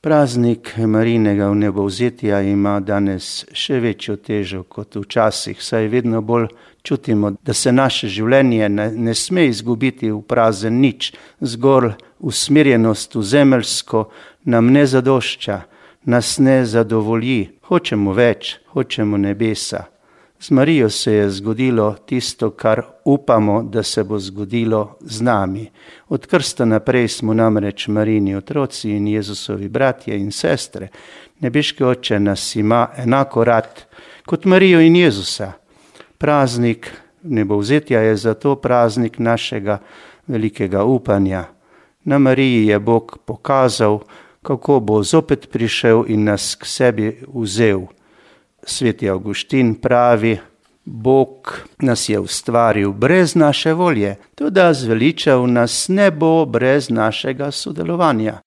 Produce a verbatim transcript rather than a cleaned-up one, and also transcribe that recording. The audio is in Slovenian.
Praznik Marijinega vnebovzetja ima danes še večjo težo kot včasih, saj vedno bolj čutimo, da se naše življenje ne, ne sme izgubiti v prazen nič, zgolj usmerjenost v zemeljsko nam ne zadošča, nas ne zadovolji, hočemo več, hočemo nebesa. Z Marijo se je zgodilo tisto, kar upamo, da se bo zgodilo z nami. Od krsta naprej smo namreč Marijini otroci in Jezusovi bratje in sestre. Nebeški Oče nas ima enako rad kot Marijo in Jezusa. Praznik vnebovzetja je zato praznik našega velikega upanja. Na Mariji je Bog pokazal, kako bo zopet prišel in nas k sebi vzel. Sveti Avguštin pravi, Bog nas je ustvaril brez naše volje, toda zveličal nas ne bo brez našega sodelovanja.